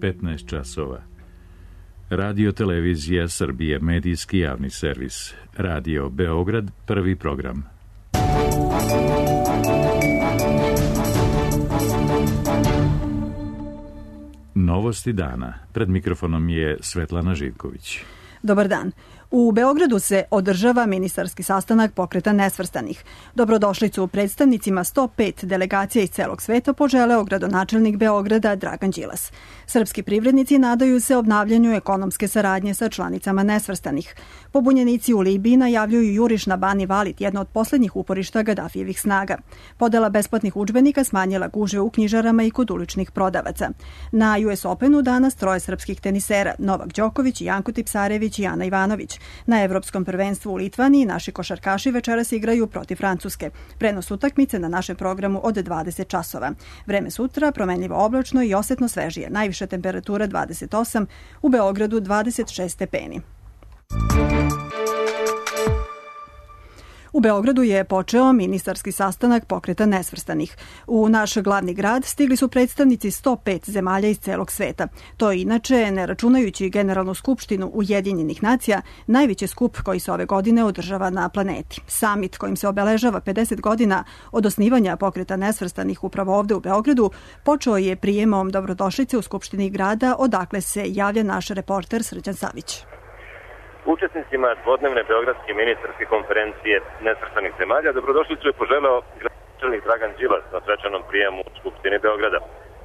15 časova. Radio Televizija Srbije, medijski javni servis. Radio Beograd, prvi program. Novosti dana. Pred mikrofonom je Svetlana Živković. Dobar dan. U Beogradu se održava ministarski sastanak Pokreta nesvrstanih. Dobrodošlicu predstavnicima 105 delegacija iz celog sveta poželeo gradonačelnik Beograda Dragan Đilas. Srpski privrednici nadaju se obnavljanju ekonomske saradnje sa članicama nesvrstanih. Pobunjenici u Libiji najavljuju juriš na Bani Valid, jedno od poslednjih uporišta Gadafijevih snaga. Podela besplatnih udžbenika smanjila gužve u knjižarama i kod uličnih prodavaca. Na US Openu danas troje srpskih tenisera, Novak Đoković, Janko Tipsarević i Ana Ivanović. Na Evropskom prvenstvu u Litvaniji naši košarkaši večeras igraju protiv Francuske. Prenos utakmice na našem programu od 20 časova. Vreme sutra promenljivo oblačno i osetno svežije. Najviša temperatura 28, u Beogradu 26 stepeni. U Beogradu je počeo ministarski sastanak Pokreta nesvrstanih. U naš glavni grad stigli su predstavnici 105 zemalja iz celog sveta. To je inače, ne računajući Generalnu skupštinu Ujedinjenih nacija, najveći skup koji se ove godine održava na planeti. Samit kojim se obeležava 50 godina od osnivanja Pokreta nesvrstanih upravo ovde u Beogradu počeo je prijemom dobrodošlice u Skupštini grada, odakle se javlja naš reporter Srđan Savić. Učesnicima dvodnevne beogradske ministarske konferencije nesvrstanih zemalja dobrodošlicu je poželeo gradonačelnik Dragan Đilas na svečanom prijemu u Skupštini Beograda.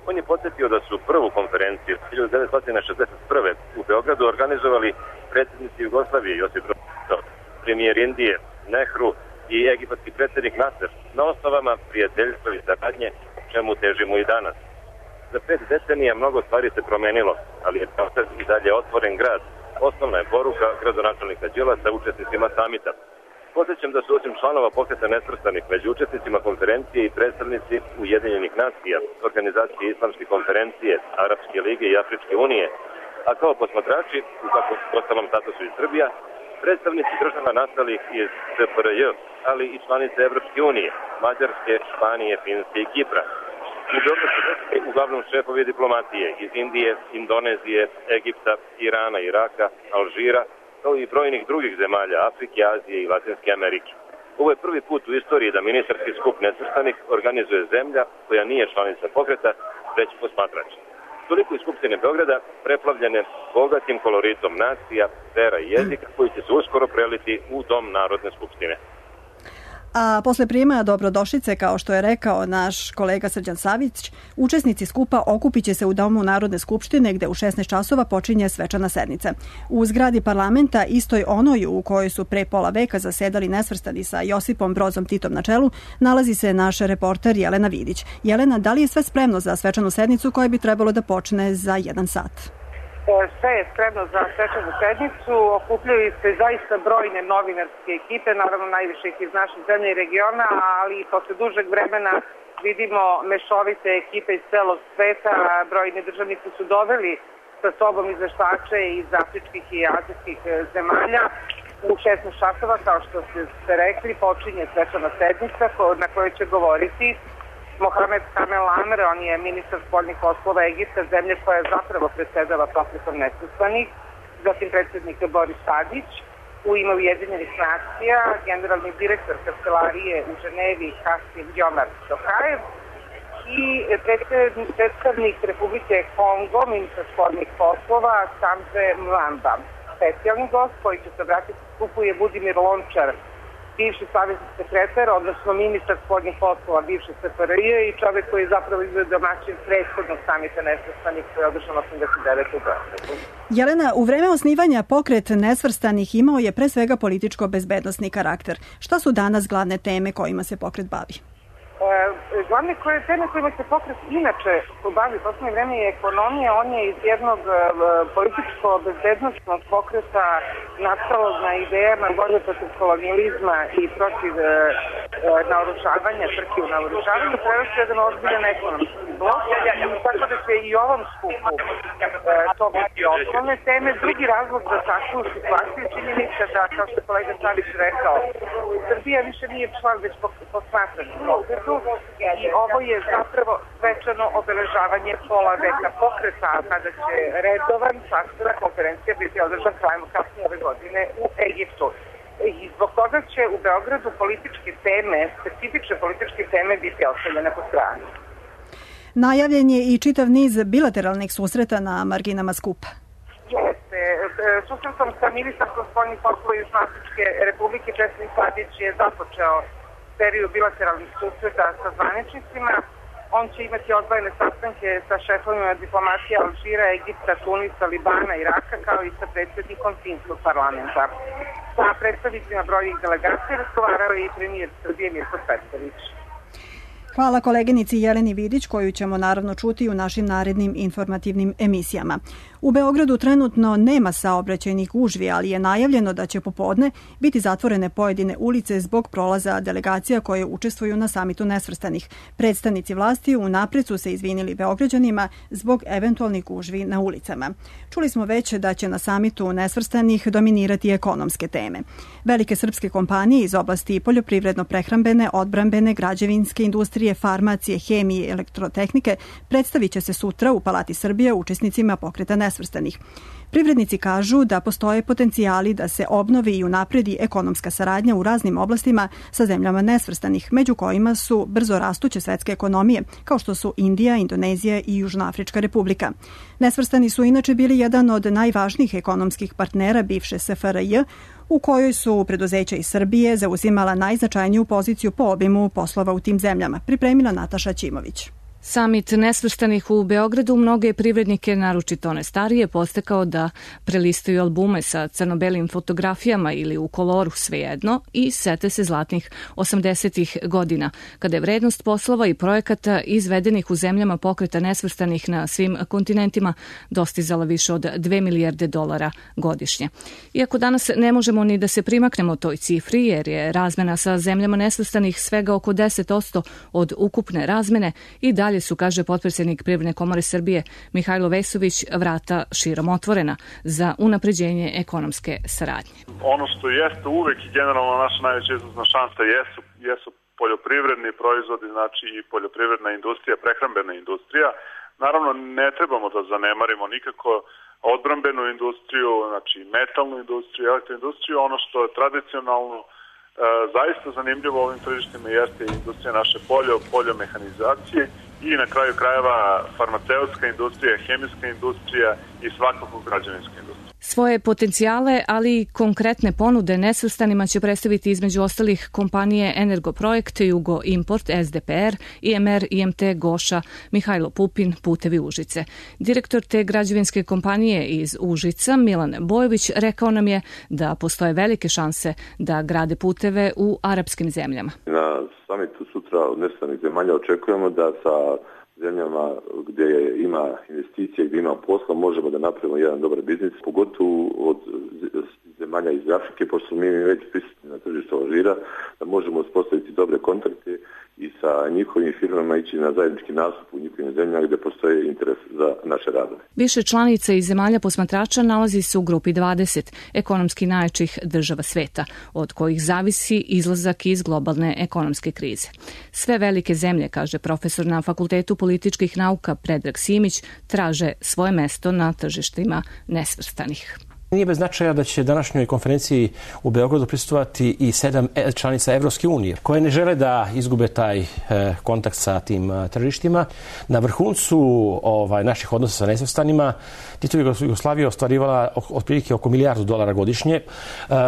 On je podsjetio da su prvu konferenciju 1961. u Beogradu organizovali predsjednici Jugoslavije Josip Broz Tito, premijer Indije Nehru i egipatski predsjednik Nasser na osnovama prijateljstva i saradnje, čemu težimo i danas. Za 5 decenija mnogo stvari se promenilo, ali je Beograd i dalje otvoren grad. Osnovna je poruka gradonačelnika Đilasa učesnicima samita. Podsjećam da su osim članova Pokreta nesvrstanih među učesnicima konferencije i predstavnici Ujedinjenih nacija, Organizacije islamske konferencije, Arapske lige i Afričke unije, a kao posmatrači, u kakvom ostalom statusu iz Srbija, predstavnici država nastalih iz SFRJ, ali i članice Evropske unije, Mađarske, Španije, Finske i Kipra. U Beogradu su došli uglavnom šefovi diplomatije iz Indije, Indonezije, Egipta, Irana, Iraka, Alžira, kao i brojnih drugih zemalja Afrike, Azije i Latinske Amerike. Ovo je prvi put u istoriji da ministarski skup nesvrstanih organizuje zemlja koja nije članica pokreta, već posmatrač. Toliko iz Skupštine Beograda preplavljene bogatim koloritom nacija, vera i jezika koji će se uskoro preliti u Dom Narodne skupštine. A posle prijema dobrodošlice, kao što je rekao naš kolega Srđan Savić, učesnici skupa okupit će se u Domu Narodne skupštine gde u 16 časova počinje svečana sednica. U zgradi parlamenta, istoj onoj u kojoj su pre pola veka zasedali nesvrstani sa Josipom Brozom Titom na čelu, nalazi se naš reporter Jelena Vidić. Jelena, da li je sve spremno za svečanu sednicu koja bi trebalo da počne za 1 sat? Sve je spremno za svečanu sednicu, okupljaju se zaista brojne novinarske ekipe, naravno najviše iz naše zemlje i regiona, ali posle dužeg vremena vidimo mešovite ekipe iz celog sveta. Brojni državnici su doveli sa sobom izveštače iz afričkih i azijskih zemalja. U 16 časova, kao što ste rekli, počinje svečana sednica na kojoj će govoriti Mohamed Kamel Amr, on je ministar spoljnih poslova Egipta, zemlje koja zapravo predsedava Pokretom nesvrstanih, zatim predsjednik Boris Tadić, u ime Ujedinjenih nacija, generalni direktor kancelarije u Ženevi Kasim Jomar Tokajev i predstavnik Republike Kongo, ministar spoljnih poslova Samze Mwamba. Specijalni gost koji će se obratiti skupu je Budimir Lončar, bivši savezni sekretar, odnosno ministar spoljnih poslova bivše SFRJ i čovjek koji je zapravo izveo domaćin prethodnog samita nesvrstanih koji je održan 89. u Beogradu. Jelena, u vreme osnivanja Pokret nesvrstanih imao je pre svega političko-bezbednosni karakter. Šta su danas glavne teme kojima se pokret bavi? Glavne teme kojima se pokret inače bavi u poslednje vreme je ekonomija. On je iz jednog političko-bezbednostnog pokreta nastalog na idejama borbe protiv kolonijalizma i protiv naoružavanja, trke u naoružavanju, prevesti jedan ozbiljan ekonomski blok. Tako da će i ovom skupu to biti osnovne teme. Drugi razlog za takvu situaciju činjenica da, kao što je kolega Savić rekao, Srbija više nije član, već posmatrač pokreta. Beogradu i ovo je zapravo svečano obeležavanje pola veka pokreta, kada će redovan sastanak konferencija biti održan krajem kasnije ove godine u Egiptu. I zbog toga će u Beogradu političke teme, specifične političke teme biti ostavljene po strani. Najavljen je i čitav niz bilateralnih susreta na marginama skupa. Jeste. Susretom sa ministarkom spoljnih poslova Južnoafričke Republike Česlin Tadić je započeo seriju bilateralnih susreta sa zvaničnicima. On će imati odvojene sastanke sa šefovima diplomatije Alžira, Egipta, Tunisa, Libana, Iraka, kao i sa predsjednikom finskog parlamenta. Sa predstavnicima brojnih delegacija razgovarao je i premijer Srbije Mirko Cvetković. Hvala koleginici Jeleni Vidić, koju ćemo naravno čuti u našim narednim informativnim emisijama. U Beogradu trenutno nema saobraćajnih gužvi, ali je najavljeno da će popodne biti zatvorene pojedine ulice zbog prolaza delegacija koje učestvuju na samitu nesvrstanih. Predstavnici vlasti unapred su se izvinili Beograđanima zbog eventualnih gužvi na ulicama. Čuli smo već da će na samitu nesvrstanih dominirati ekonomske teme. Velike srpske kompanije iz oblasti poljoprivredno-prehrambene, odbrambene, građevinske industrije, farmacije, hemije i elektrotehnike predstavit će se sutra u Palati Srbije učesnicima pokreta nesvrstanih. Privrednici kažu da postoje potencijali da se obnovi i unapredi ekonomska saradnja u raznim oblastima sa zemljama nesvrstanih, među kojima su brzo rastuće svetske ekonomije, kao što su Indija, Indonezija i Južnoafrička republika. Nesvrstani su inače bili jedan od najvažnijih ekonomskih partnera bivše SFRJ, u kojoj su preduzeća iz Srbije zauzimala najznačajniju poziciju po obimu poslova u tim zemljama, pripremila Nataša Ćimović. Samit nesvrstanih u Beogradu mnoge privrednike, naročito one starije, postekao da prelistaju albume sa crno-belim fotografijama ili u koloru, svejedno, i sete se zlatnih 80-ih godina, kada je vrednost poslova i projekata izvedenih u zemljama pokreta nesvrstanih na svim kontinentima dostizala više od $2 milijarde godišnje. Iako danas ne možemo ni da se primaknemo toj cifri, jer je razmena sa zemljama nesvrstanih svega oko 10% od ukupne razmene, i dalje su, kaže potpredsjednik Privredne komore Srbije Mihajlo Vesović, vrata širom otvorena za unapređenje ekonomske saradnje. Ono što jeste uvek i generalno naša najveća izvozna šansa jesu poljoprivredni proizvodi, znači i poljoprivredna industrija, prehrambena industrija. Naravno, ne trebamo da zanemarimo nikako odbrambenu industriju, znači metalnu industriju, elektroindustriju. Ono što je tradicionalno zaista zanimljivo ovim tržištima jeste industrija naše poljomehanizacije i na kraju krajeva farmaceutska industrija, hemijska industrija i svakako građevinska industrija. Svoje potencijale, ali i konkretne ponude nesvrstanima će predstaviti između ostalih kompanije Energoprojekt, Jugo Import, SDPR, IMR, IMT, Goša, Mihajlo Pupin, Putevi Užice. Direktor te građevinske kompanije iz Užica, Milan Bojović, rekao nam je da postoje velike šanse da grade puteve u arapskim zemljama. Na samitu sutra od nesvrstanih zemalja očekujemo da sa zemljama gdje ima investicije, gdje ima posla, možemo da napravimo jedan dobar biznis, pogotovo od zemalja iz Afrike, pošto smo mi već prisutni na tržištu Alžira, da možemo uspostaviti dobre kontakte i sa njihovim firmama ići na zajednički nastup u njihovim zemljama gdje postoji interes za naše radove. Više članica iz zemalja posmatrača nalazi se u grupi 20 ekonomski najjačih država sveta, od kojih zavisi izlazak iz globalne ekonomske krize. Sve velike zemlje, kaže profesor na Fakultetu političkih nauka Predrag Simić, traže svoje mesto na tržištima nesvrstanih. Nije bez značaja da će današnjoj konferenciji u Beogradu prisustvovati i 7 članica Evropske unije, koje ne žele da izgube taj kontakt sa tim tržištima. Na vrhuncu naših odnosa sa nesvrstanima Titova Jugoslavija ostvarivala otprilike oko $1 milijardu godišnje.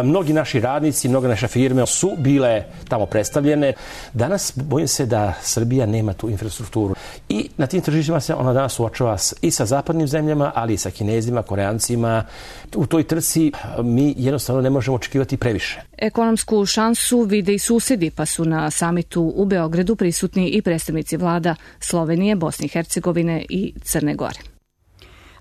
Mnogi naši radnici, mnoge naše firme su bile tamo predstavljene. Danas bojim se da Srbija nema tu infrastrukturu. I na tim tržištima se ona danas suočava i sa zapadnim zemljama, ali i sa Kinezima, Koreancima. U toj trci mi jednostavno ne možemo očekivati previše. Ekonomsku šansu vide i susedi, pa su na samitu u Beogradu prisutni i predstavnici vlada Slovenije, Bosne i Hercegovine i Crne Gore.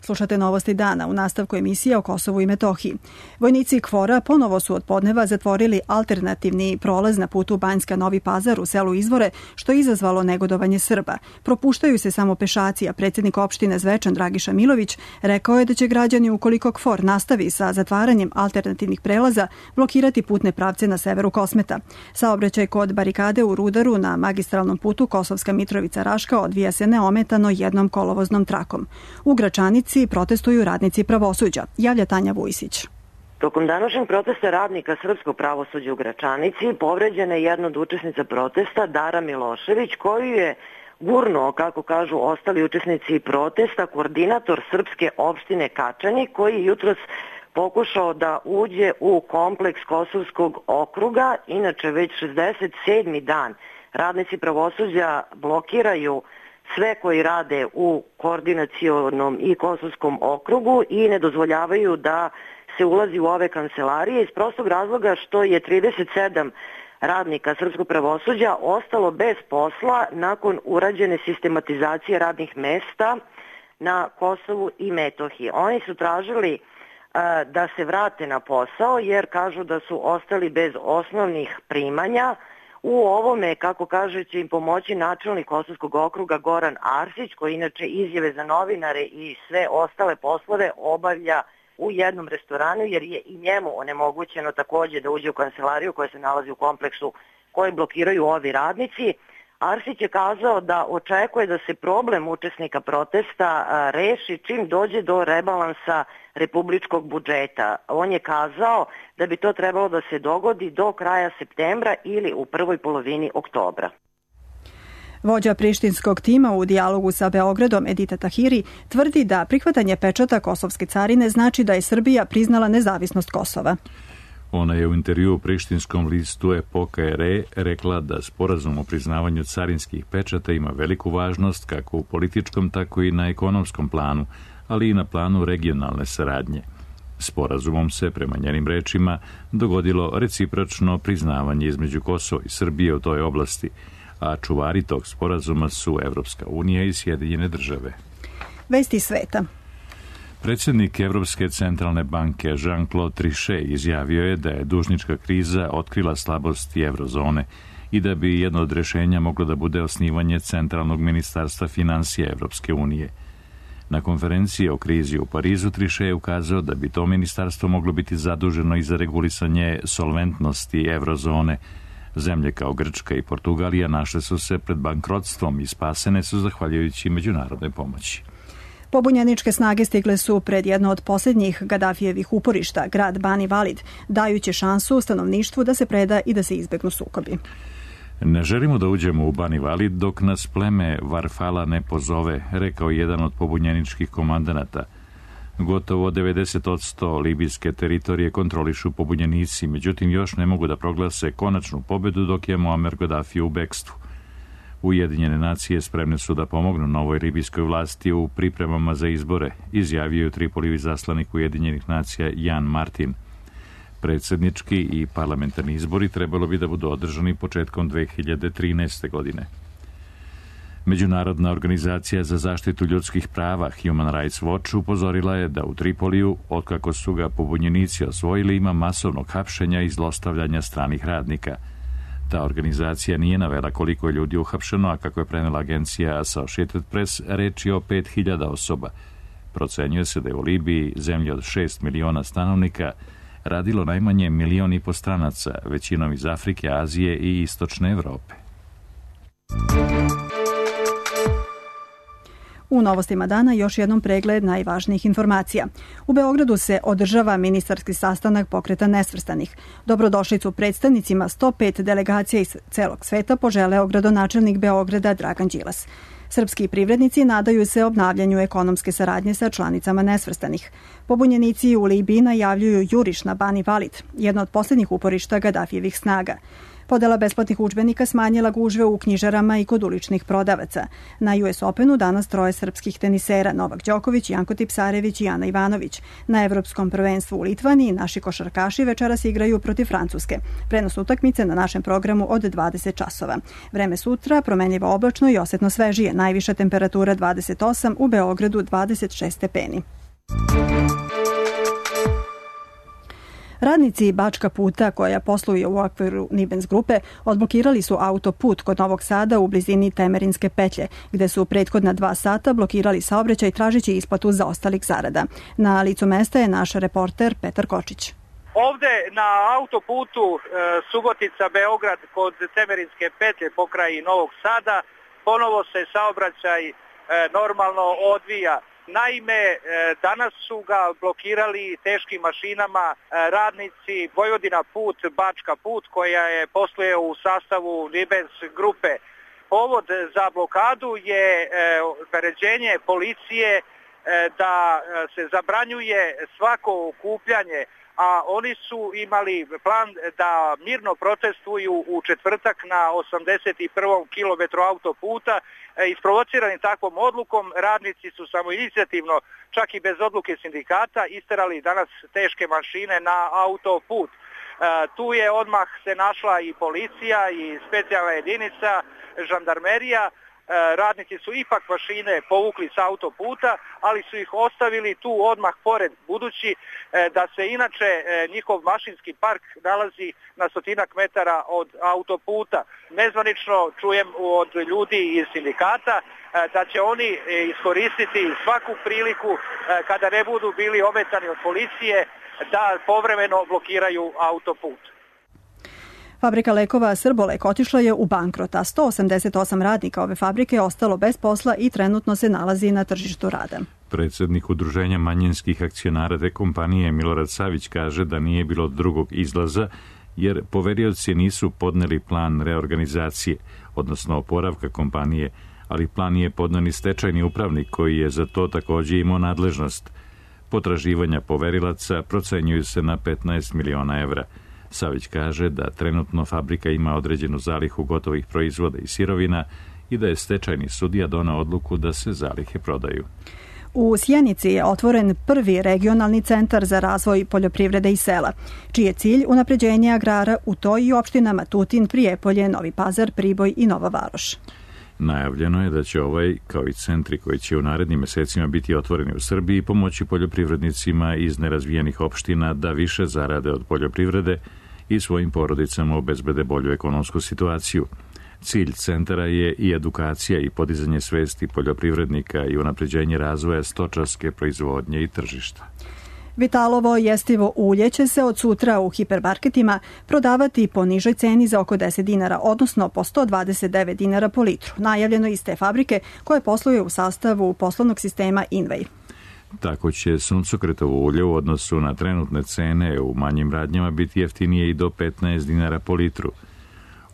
Slušate novosti dana u nastavku emisije o Kosovu i Metohiji. Vojnici KFOR-a ponovo su od podneva zatvorili alternativni prolaz na putu Banjska-Novi Pazar u selu Izvore, što je izazvalo negodovanje Srba. Propuštaju se samo pešaci, a predsjednik opštine Zvečan Dragiša Milović rekao je da će građani, ukoliko KFOR nastavi sa zatvaranjem alternativnih prelaza, blokirati putne pravce na severu Kosmeta. Saobraćaj kod barikade u Rudaru na magistralnom putu Kosovska Mitrovica-Raška odvija se neometano jednom kolovoznom trakom. U Gračanici protestuju radnici pravosuđa, javlja Tanja Vujsić. Tokom današnjeg protesta radnika srpskog pravosuđa u Gračanici povređena je jedna od učesnica protesta, Dara Milošević, koju je gurnuo, kako kažu ostali učesnici protesta, koordinator srpske opštine Kačani, koji je jutros pokušao da uđe u kompleks Kosovskog okruga. Inače, već 67. dan radnici pravosuđa blokiraju sve koji rade u koordinacionom i Kosovskom okrugu i ne dozvoljavaju da se ulazi u ove kancelarije iz prostog razloga što je 37 radnika srpskog pravosuđa ostalo bez posla nakon urađene sistematizacije radnih mesta na Kosovu i Metohiji. Oni su tražili da se vrate na posao jer kažu da su ostali bez osnovnih primanja. U ovome, kako kaže, će im pomoći načelnik Kosovskog okruga Goran Arsić, koji inače izjave za novinare i sve ostale poslove obavlja u jednom restoranu, jer je i njemu onemogućeno također da uđe u kancelariju koja se nalazi u kompleksu koji blokiraju ovi radnici. Arsić je kazao da očekuje da se problem učesnika protesta reši čim dođe do rebalansa republičkog budžeta. On je kazao da bi to trebalo da se dogodi do kraja septembra ili u prvoj polovini oktobra. Vođa prištinskog tima u dijalogu sa Beogradom, Edita Tahiri, tvrdi da prihvatanje pečata kosovske carine znači da je Srbija priznala nezavisnost Kosova. Ona je u intervju u prištinskom listu Epoka RE rekla da sporazum o priznavanju carinskih pečata ima veliku važnost kako u političkom, tako i na ekonomskom planu, ali i na planu regionalne saradnje. Sporazumom se, prema njenim rečima, dogodilo recipročno priznavanje između Kosova i Srbije u toj oblasti, a čuvari tog sporazuma su Evropska unija i Sjedinjene države. Vesti sveta. Predsjednik Evropske centralne banke Jean-Claude Trichet izjavio je da je dužnička kriza otkrila slabosti eurozone i da bi jedno od rješenja moglo da bude osnivanje Centralnog ministarstva financija Evropske unije. Na konferenciji o krizi u Parizu Trichet je ukazao da bi to ministarstvo moglo biti zaduženo i za regulisanje solventnosti eurozone. Zemlje kao Grčka i Portugalija našle su se pred bankrotstvom i spasene su zahvaljujući međunarodnoj pomoći. Pobunjeničke snage stigle su pred jedno od posljednjih Gadafijevih uporišta, grad Bani Valid, dajući šansu stanovništvu da se preda i da se izbegnu sukobi. Ne želimo da uđemo u Bani Valid dok nas pleme Varfala ne pozove, rekao jedan od pobunjeničkih komandanata. Gotovo 90% libijske teritorije kontrolišu pobunjenici, međutim još ne mogu da proglase konačnu pobedu dok je Muammar Gaddafi u bekstvu. Ujedinjene nacije spremne su da pomognu novoj libijskoj vlasti u pripremama za izbore, izjavio je Tripolijev izaslanik Ujedinjenih nacija Jan Martin. Predsjednički i parlamentarni izbori trebalo bi da budu održani početkom 2013. godine. Međunarodna organizacija za zaštitu ljudskih prava Human Rights Watch upozorila je da u Tripoliju, otkako su ga pobunjenici osvojili, ima masovnog hapšenja i zlostavljanja stranih radnika. Ta organizacija nije navela koliko je ljudi uhapšeno, a kako je prenela agencija Associated Press, reč je o 5000 osoba. Procenjuje se da je u Libiji, zemlji od 6 miliona stanovnika, radilo najmanje 1,5 miliona stranaca, većinom iz Afrike, Azije i Istočne Evrope. U novostima dana još jednom pregled najvažnijih informacija. U Beogradu se održava ministarski sastanak Pokreta nesvrstanih. Dobrodošlicu predstavnicima 105 delegacija iz celog sveta poželeo gradonačelnik Beograda Dragan Đilas. Srpski privrednici nadaju se obnavljanju ekonomske saradnje sa članicama nesvrstanih. Pobunjenici u Libiji najavljuju juriš na Bani Valid, jedno od posljednjih uporišta Gadafijevih snaga. Podela besplatnih udžbenika smanjila gužve u knjižarama i kod uličnih prodavaca. Na US Openu danas troje srpskih tenisera Novak Đoković, Janko Tipsarević i Ana Ivanović. Na Evropskom prvenstvu u Litvaniji naši košarkaši večeras igraju protiv Francuske. Prenos utakmice na našem programu od 20 časova. Vreme sutra promenljivo oblačno i osetno svežije. Najviša temperatura 28, u Beogradu 26 stepeni. Radnici Bačka puta, koja posluje u okviru Nibens grupe, odblokirali su autoput kod Novog Sada u blizini Temerinske petlje, gde su prethodna 2 sata blokirali saobraćaj tražeći isplatu zaostalih zarada. Na licu mesta je naš reporter Petar Kočić. Ovde na autoputu Subotica-Beograd kod Temerinske petlje pokraj Novog Sada ponovo se saobraćaj normalno odvija. Naime, danas su ga blokirali teškim mašinama radnici Vojvodina put, Bačka put, koja je posluje u sastavu Nibens grupe. Povod za blokadu je naređenje policije da se zabranjuje svako okupljanje, a oni su imali plan da mirno protestuju u četvrtak na 81. kilometru autoputa. Isprovocirani takvom odlukom, radnici su samoinicijativno, čak i bez odluke sindikata, isterali danas teške mašine na autoput. Tu je odmah se našla i policija i specijalna jedinica, žandarmerija. Radnici su ipak mašine povukli sa autoputa, ali su ih ostavili tu odmah pored, budući da se inače njihov mašinski park nalazi na 100 metara od autoputa. Nezvanično čujem od ljudi iz sindikata da će oni iskoristiti svaku priliku kada ne budu bili ometani od policije da povremeno blokiraju autoput. Fabrika lekova Srbolek otišla je u bankrot, a 188 radnika ove fabrike je ostalo bez posla i trenutno se nalazi na tržištu rada. Predsjednik Udruženja manjinskih akcionara te kompanije Milorad Savić kaže da nije bilo drugog izlaza jer poverioci nisu podneli plan reorganizacije, odnosno oporavka kompanije, ali plan je podneo ni stečajni upravnik koji je za to također imao nadležnost. Potraživanja poverilaca procenjuju se na 15 miliona evra. Savić kaže da trenutno fabrika ima određenu zalihu gotovih proizvoda i sirovina i da je stečajni sudija doneo odluku da se zalihe prodaju. U Sjenici je otvoren prvi regionalni centar za razvoj poljoprivrede i sela, čiji je cilj unapređenje agrara u toj i opštinama Tutin, Prijepolje, Novi Pazar, Priboj i Nova Varoš. Najavljeno je da će ovaj, kao i centri koji će u narednim mesecima biti otvoreni u Srbiji, pomoći poljoprivrednicima iz nerazvijenih opština da više zarade od poljoprivrede i svojim porodicama obezbede bolju ekonomsku situaciju. Cilj centara je i edukacija i podizanje svesti poljoprivrednika i unapređenje razvoja stočarske proizvodnje i tržišta. Vitalovo jestivo ulje će se od sutra u hipermarketima prodavati po nižoj ceni za oko 10 dinara, odnosno po 129 dinara po litru. Najavljeno iz te fabrike koje posluje u sastavu poslovnog sistema Invej. Tako će suncokretovo ulje u odnosu na trenutne cene u manjim radnjama biti jeftinije i do 15 dinara po litru.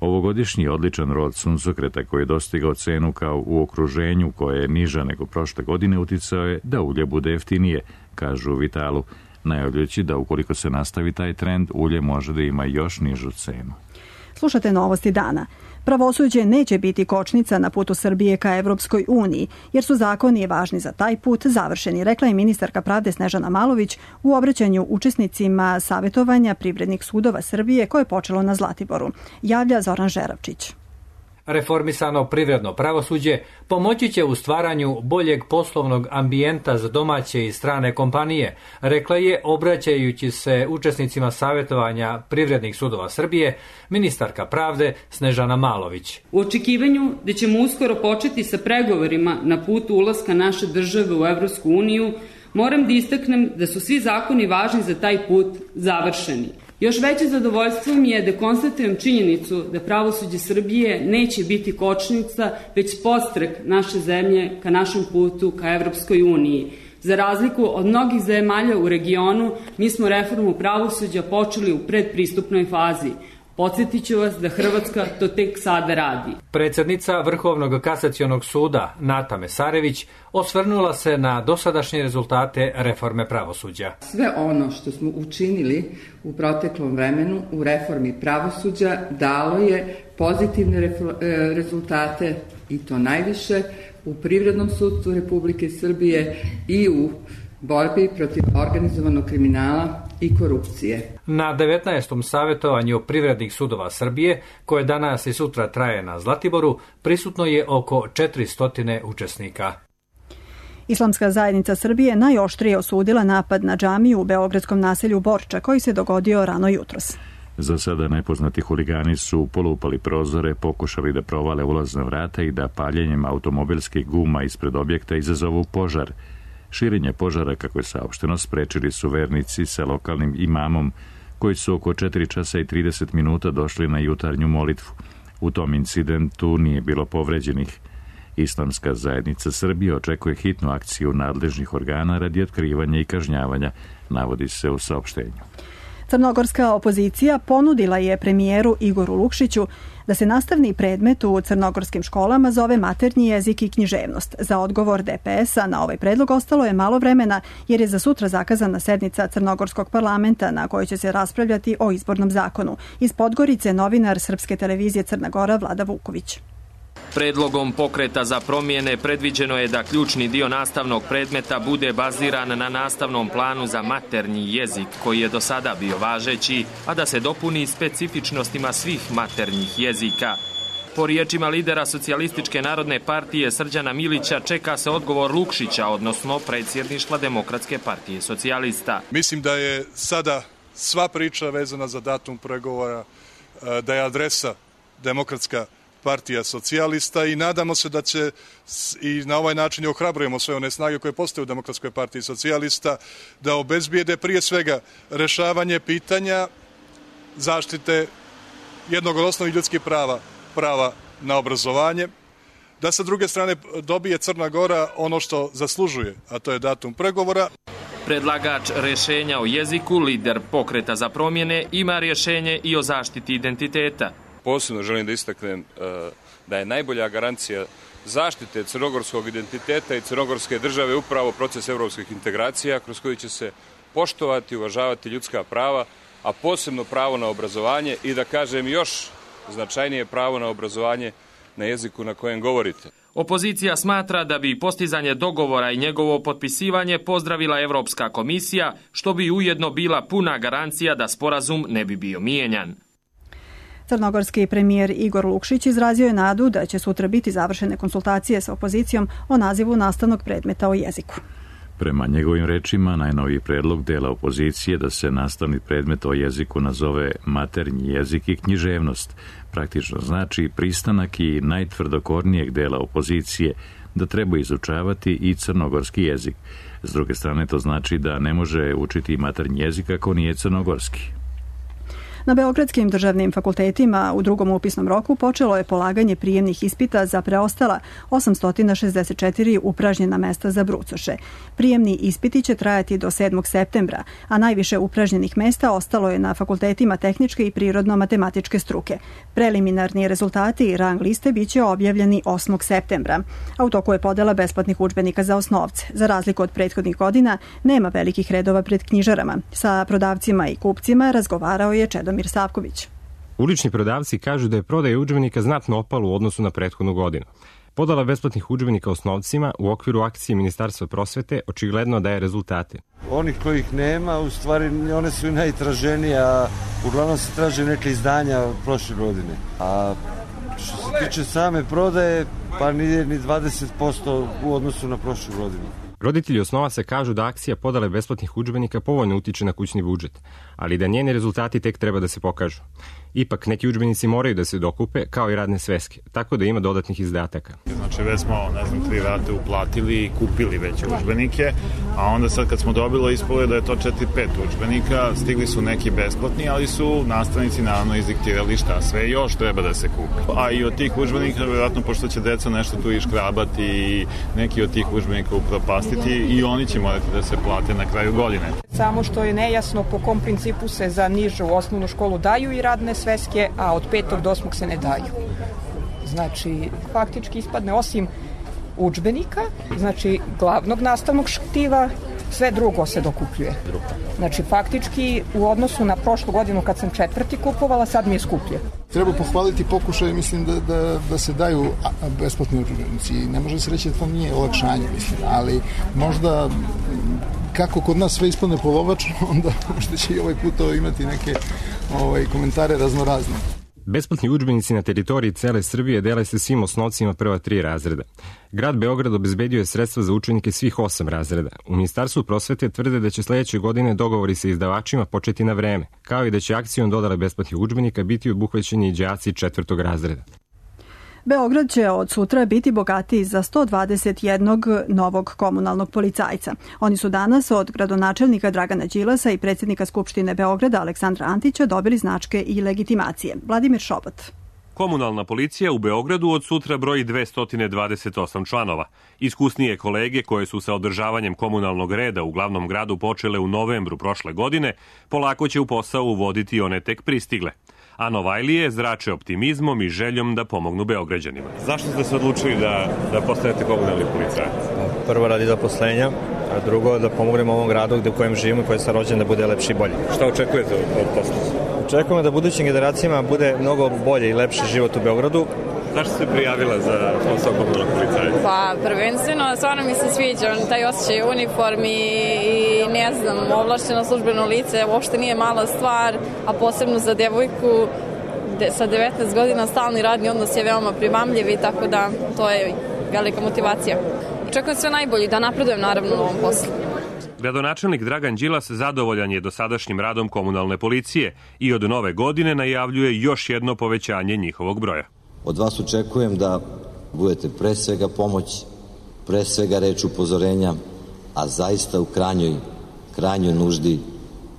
Ovogodišnji odličan rod suncokreta koji je dostigao cenu kao u okruženju koje je niža nego prošle godine uticao je da ulje bude jeftinije, kažu u Vitalu, najavljujući da ukoliko se nastavi taj trend, ulje može da ima još nižu cenu. Slušate novosti dana. Pravosuđe neće biti kočnica na putu Srbije ka Evropskoj uniji, jer su zakoni važni za taj put završeni, rekla je ministarka pravde Snežana Malović u obraćanju učesnicima savjetovanja privrednih sudova Srbije koje je počelo na Zlatiboru. Javlja Zoran Žeravčić. Reformisano privredno pravosuđe pomoći će u stvaranju boljeg poslovnog ambijenta za domaće i strane kompanije, rekla je, obraćajući se učesnicima savjetovanja privrednih sudova Srbije, ministarka pravde Snežana Malović. U očekivanju da ćemo uskoro početi sa pregovorima na putu ulaska naše države u Evropsku uniju, moram da istaknem da su svi zakoni važni za taj put završeni. Još veće zadovoljstvo mi je da konstatujem činjenicu da pravosuđe Srbije neće biti kočnica, već podstrek naše zemlje ka našem putu ka Evropskoj uniji. Za razliku od mnogih zemalja u regionu, mi smo reformu pravosuđa počeli u predpristupnoj fazi. Podsjetit ću vas da Hrvatska to tek sada radi. Predsjednica Vrhovnog kasacionog suda Nata Mesarević osvrnula se na dosadašnje rezultate reforme pravosuđa. Sve ono što smo učinili u proteklom vremenu u reformi pravosuđa dalo je pozitivne rezultate i to najviše u Privrednom sudstvu Republike Srbije i u borbi protiv organizovanog kriminala i korupcije. Na 19. savjetovanju privrednih sudova Srbije, koje danas i sutra traje na Zlatiboru, prisutno je oko 400 učesnika. Islamska zajednica Srbije najoštrije osudila napad na džamiju u beogradskom naselju Borča, koji se dogodio rano jutros. Za sada nepoznati huligani su polupali prozore, pokušali da provale ulazna vrata i da paljenjem automobilskih guma ispred objekta izazovu požar. Širenje požara, kako je saopšteno, sprečili su vernici sa lokalnim imamom, koji su oko 4 časa i 30 minuta došli na jutarnju molitvu. U tom incidentu nije bilo povređenih. Islamska zajednica Srbije očekuje hitnu akciju nadležnih organa radi otkrivanja i kažnjavanja, navodi se u saopštenju. Crnogorska opozicija ponudila je premijeru Igoru Lukšiću da se nastavni predmet u crnogorskim školama zove maternji jezik i književnost. Za odgovor DPS-a na ovaj predlog ostalo je malo vremena, jer je za sutra zakazana sednica Crnogorskog parlamenta na kojoj će se raspravljati o izbornom zakonu. Iz Podgorice novinar Srpske televizije Crna Gora Vlada Vuković. Predlogom Pokreta za promjene predviđeno je da ključni dio nastavnog predmeta bude baziran na nastavnom planu za maternji jezik, koji je do sada bio važeći, a da se dopuni specifičnostima svih maternjih jezika. Po riječima lidera Socijalističke narodne partije Srđana Milića čeka se odgovor Lukšića, odnosno predsjedništva Demokratske partije socijalista. Mislim da je sada sva priča vezana za datum pregovora, da je adresa Demokratska partija socijalista i nadamo se da će i na ovaj način ohrabrujemo sve one snage koje postoje u Demokratskoj partiji socijalista da obezbijede prije svega rešavanje pitanja zaštite jednog od osnovnih ljudskih prava na obrazovanje, da sa druge strane dobije Crna Gora ono što zaslužuje, a to je datum pregovora. Predlagač rješenja o jeziku, lider Pokreta za promjene, ima rješenje i o zaštiti identiteta. Posebno želim da istaknem da je najbolja garancija zaštite crnogorskog identiteta i crnogorske države upravo proces evropskih integracija, kroz koji će se poštovati, uvažavati ljudska prava, a posebno pravo na obrazovanje i, da kažem, još značajnije pravo na obrazovanje na jeziku na kojem govorite. Opozicija smatra da bi postizanje dogovora i njegovo potpisivanje pozdravila Evropska komisija, što bi ujedno bila puna garancija da sporazum ne bi bio mijenjan. Crnogorski premijer Igor Lukšić izrazio je nadu da će sutra biti završene konsultacije sa opozicijom o nazivu nastavnog predmeta o jeziku. Prema njegovim rečima, najnoviji predlog dela opozicije da se nastavni predmet o jeziku nazove maternji jezik i književnost praktično znači pristanak i najtvrdokornijeg dela opozicije da treba izučavati i crnogorski jezik. S druge strane, to znači da ne može učiti maternji jezik ako nije crnogorski. Na beogradskim državnim fakultetima u drugom upisnom roku počelo je polaganje prijemnih ispita za preostala 864 upražnjena mesta za brucoše. Prijemni ispiti će trajati do 7. septembra, a najviše upražnjenih mesta ostalo je na fakultetima tehničke i prirodno-matematičke struke. Preliminarni rezultati i rang liste biće objavljeni 8. septembra, a u toku je podela besplatnih udžbenika za osnovce. Za razliku od prethodnih godina, nema velikih redova pred knjižarama. Sa prodavcima i kupcima razgovarao je Čedomir Savković. Ulični prodavci kažu da je prodaja udžbenika znatno opala u odnosu na prethodnu godinu. Podala besplatnih udžbenika osnovcima u okviru akcije Ministarstva prosvete očigledno daje rezultate. Onih kojih nema, u stvari one su i najtraženija, uglavnom se traže neke izdanja prošle godine. A što se tiče same prodaje, pa nije ni 20% u odnosu na prošlu godinu. Roditelji osnovaca kažu da akcija podale besplatnih udžbenika povoljno utiče na kućni budžet, ali da njeni rezultati tek treba da se pokažu. Ipak, neki udžbenici moraju da se dokupe, kao i radne sveske, tako da ima dodatnih izdataka. Znači, već smo, 3 rate uplatili i kupili već udžbenike, a onda sad kad smo dobili ispalo da je to 4-5 udžbenika, stigli su neki besplatni, ali su nastavnici naravno izdiktirali šta sve još treba da se kupi. A i od tih udžbenika, vjerojatno, pošto će deca nešto tu iškrabati i neki od tih udžbenika upropastiti, i oni će morati da se plate na kraju godine. Samo što je nejasno po kom principu se za nižu osnovnu školu daju i radne sveske, a od 5. do 8. se ne daju. Znači, faktički ispadne osim udžbenika, znači glavnog nastavnog štiva, sve drugo se dokupljuje. Znači, faktički u odnosu na prošlu godinu kad sam 4. kupovala, sad mi je skuplje. Treba pohvaliti pokušaj, mislim, da se daju besplatni udžbenici. Ne može se reći da to nije olakšanje, mislim, ali možda kako kod nas sve ispadne polovačno, onda možda će i ovaj put imati neke komentare raznorazne. Besplatni udžbenici na teritoriji cele Srbije dele se svim osnovcima prva 3 razreda. Grad Beograd obezbedio je sredstva za učenike svih 8 razreda. U Ministarstvu prosvete tvrde da će sledeće godine dogovori sa izdavačima početi na vreme, kao i da će akcijom dodale besplatnih udžbenika biti obuhvaćeni i đaci 4. razreda. Beograd će od sutra biti bogatiji za 121 novog komunalnog policajca. Oni su danas od gradonačelnika Dragana Đilasa i predsjednika Skupštine Beograda Aleksandra Antića dobili značke i legitimacije. Vladimir Šobat. Komunalna policija u Beogradu od sutra broji 228 članova. Iskusnije kolege koje su sa održavanjem komunalnog reda u glavnom gradu počele u novembru prošle godine, polako će u posao uvoditi one tek pristigle. A Novajlije zrače optimizmom i željom da pomognu Beograđanima. Zašto ste se odlučili da postanete komunalni policajac? Prvo radi zaposlenja, a drugo da pomognemo ovom gradu u kojem živimo i koji sam rođen da bude lepši i bolji. Šta očekujete od posla? Očekujemo da budućim generacijama bude mnogo bolje i lepši život u Beogradu. Zašto ste prijavila za posao komunalnog policajca? Pa prvenstveno, stvarno mi se sviđa taj osjećaj uniformi i ne znam, ovlašćeno službeno lice, uopšte nije mala stvar, a posebno za devojku sa 19 godina stalni radni odnos je veoma primamljiv i tako da to je velika motivacija. Očekujem sve najbolje da napredujem naravno u ovom poslu. Gradonačelnik Dragan Đilas zadovoljan je dosadašnjim radom komunalne policije i od nove godine najavljuje još jedno povećanje njihovog broja. Od vas očekujem da budete pre svega pomoć, pre svega reč upozorenja, a zaista u krajnjoj nuždi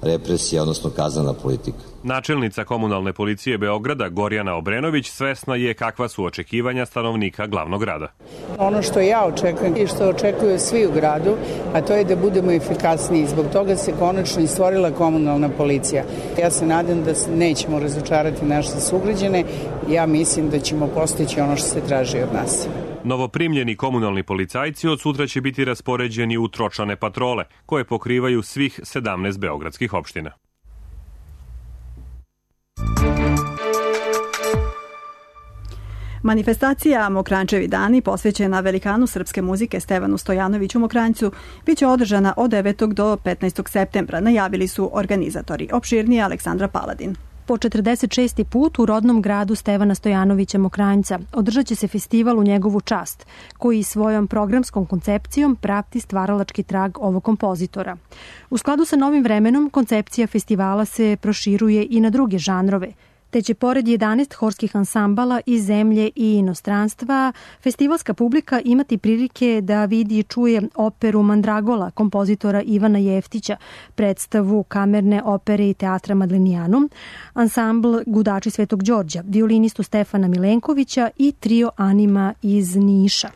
represija, odnosno kaznena politika. Načelnica komunalne policije Beograda Gorjana Obrenović svesna je kakva su očekivanja stanovnika glavnog grada. Ono što ja očekujem i što očekuju svi u gradu, a to je da budemo efikasniji. Zbog toga se konačno i stvorila komunalna policija. Ja se nadam da nećemo razočarati naše sugrađane. Ja mislim da ćemo postići ono što se traži od nas. Novoprimljeni komunalni policajci od sutra će biti raspoređeni u tročlane patrole, koje pokrivaju svih 17 beogradskih opština. Manifestacija Mokrančevi dani posvećena velikanu srpske muzike Stevanu Stojanoviću Mokranjcu biće održana od 9. do 15. septembra, najavili su organizatori. Opširnije Aleksandra Paladin. Po 46. put u rodnom gradu Stevana Stojanovića Mokranjca održat će se festival u njegovu čast, koji svojom programskom koncepcijom prati stvaralački trag ovog kompozitora. U skladu sa novim vremenom, koncepcija festivala se proširuje i na druge žanrove, te će pored 11 horskih ansambala iz zemlje i inostranstva, festivalska publika imati prilike da vidi i čuje operu Mandragola kompozitora Ivana Jeftića, predstavu kamerne opere i teatra Madlenijanum, ansambl Gudači Svetog Đorđa, violinistu Stefana Milenkovića i trio Anima iz Niša.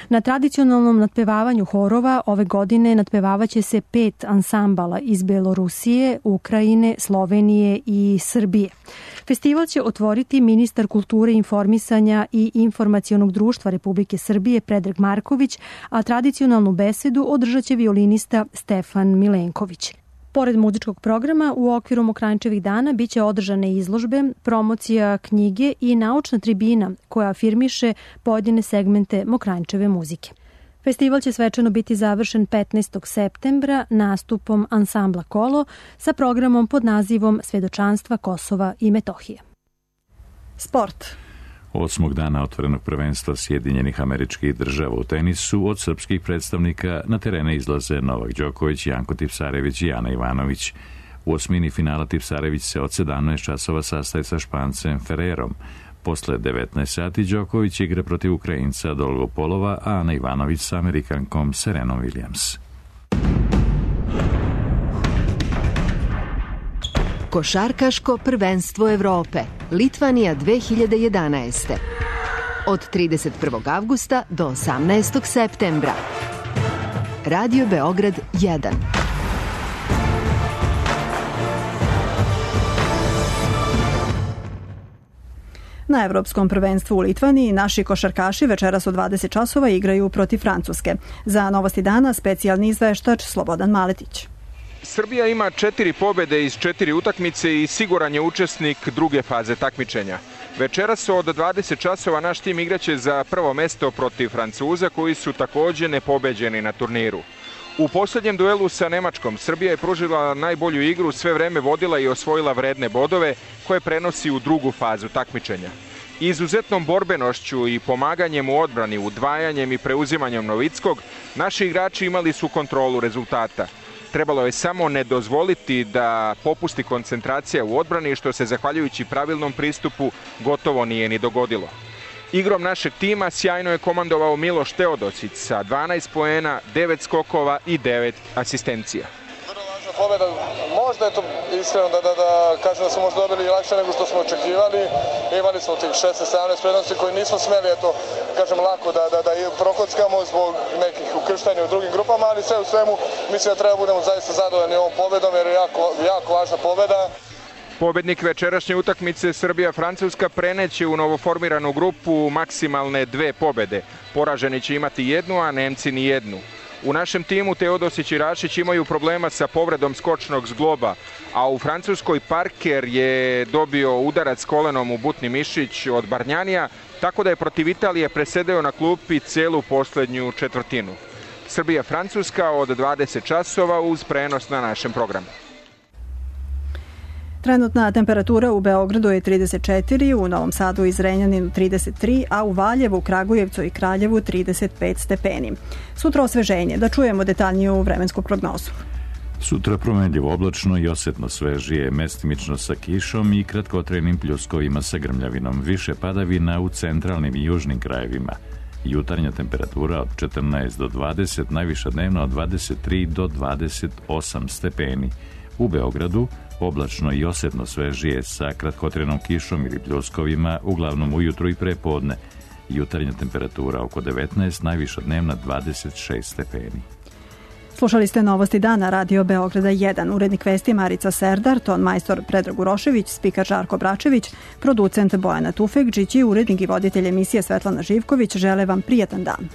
Na tradicionalnom natpevavanju horova ove godine natpevavaće se 5 ansambala iz Belorusije, Ukrajine, Slovenije i Srbije. Festival će otvoriti ministar kulture, informisanja i informacionog društva Republike Srbije Predrag Marković, a tradicionalnu besedu održat će violinista Stefan Milenković. Pored muzičkog programa, u okviru Mokranjčevih dana biće održane izložbe, promocija knjige i naučna tribina koja afirmiše pojedine segmente Mokranjčeve muzike. Festival će svečano biti završen 15. septembra nastupom ansambla Kolo sa programom pod nazivom Svedočanstva Kosova i Metohije. Sport. 8. dana otvorenog prvenstva Sjedinjenih Američkih Država u tenisu od srpskih predstavnika na terene izlaze Novak Đoković, Janko Tipsarević i Ana Ivanović. U osmini finala Tipsarević se od 17 časova sastaje sa Špancem Ferrerom. Posle 19 sati Đoković igra protiv Ukrajinca Dolgopolova, a Ana Ivanović sa Amerikankom Serenom Williams. Košarkaško prvenstvo Evrope, Litvanija 2011. Od 31. avgusta do 18. septembra. Radio Beograd 1. Na Evropskom prvenstvu u Litvaniji naši košarkaši večeras u 20 časova igraju protiv Francuske. Za Novosti dana specijalni izveštač Slobodan Maletić. Srbija ima 4 pobede iz 4 utakmice i siguran je učesnik druge faze takmičenja. Večeras od 20 časova naš tim igraće za prvo mesto protiv Francuza koji su takođe nepobeđeni na turniru. U posljednjem duelu sa Nemačkom Srbija je pružila najbolju igru, sve vreme vodila i osvojila vredne bodove koje prenosi u drugu fazu takmičenja. Izuzetnom borbenošću i pomaganjem u odbrani, udvajanjem i preuzimanjem Novickog, naši igrači imali su kontrolu rezultata. Trebalo je samo ne dozvoliti da popusti koncentracija u odbrani, što se zahvaljujući pravilnom pristupu gotovo nije ni dogodilo. Igrom našeg tima sjajno je komandovao Miloš Teodosić sa 12 poena, 9 skokova i 9 asistencija. Vrlo važna pobjeda, možda je to iskreno da kažem da smo možda dobili lakše nego što smo očekivali. Imali smo tih 16-17 prednosti koje nismo smeli, kažem, lako da prokockamo zbog nekih ukrštanja u drugim grupama, ali sve u svemu mislim da treba budemo zaista zadovoljni ovom pobjedom jer je jako važna pobjeda. Pobednik večerašnje utakmice Srbija-Francuska preneće u novoformiranu grupu maksimalne 2 pobede. Poraženi će imati 1, a Nemci ni 1. U našem timu Teodosić i Rašić imaju problema sa povredom skočnog zgloba, a u Francuskoj Parker je dobio udarac kolenom u butni mišić od Barnjanija, tako da je protiv Italije presedeo na klupi celu poslednju četvrtinu. Srbija-Francuska od 20 časova uz prenos na našem programu. Trenutna temperatura u Beogradu je 34, u Novom Sadu i Zrenjaninu 33, a u Valjevu, Kragujevcu i Kraljevu 35 stepeni. Sutra osveženje, da čujemo detaljniju vremensku prognozu. Sutra promenljivo oblačno i osetno svežije, mestimično sa kišom i kratkotrajnim pljuskovima sa grmljavinom. Više padavina u centralnim i južnim krajevima. Jutarnja temperatura od 14 do 20, najviša dnevna od 23 do 28 stepeni. U Beogradu oblačno i osetno svežije sa kratkotrajnom kišom ili pljuskovima, uglavnom ujutru i prepodne. Jutarnja temperatura oko 19, najviša dnevna 26 stepeni. Slušali ste Novosti dana Radio Beograda 1, urednik vesti Marica Serdar, ton majstor Predrag Urošević, spikar Žarko Bračević, producent Bojana Tufekđić i urednik i voditelj emisije Svetlana Živković žele vam prijatan dan.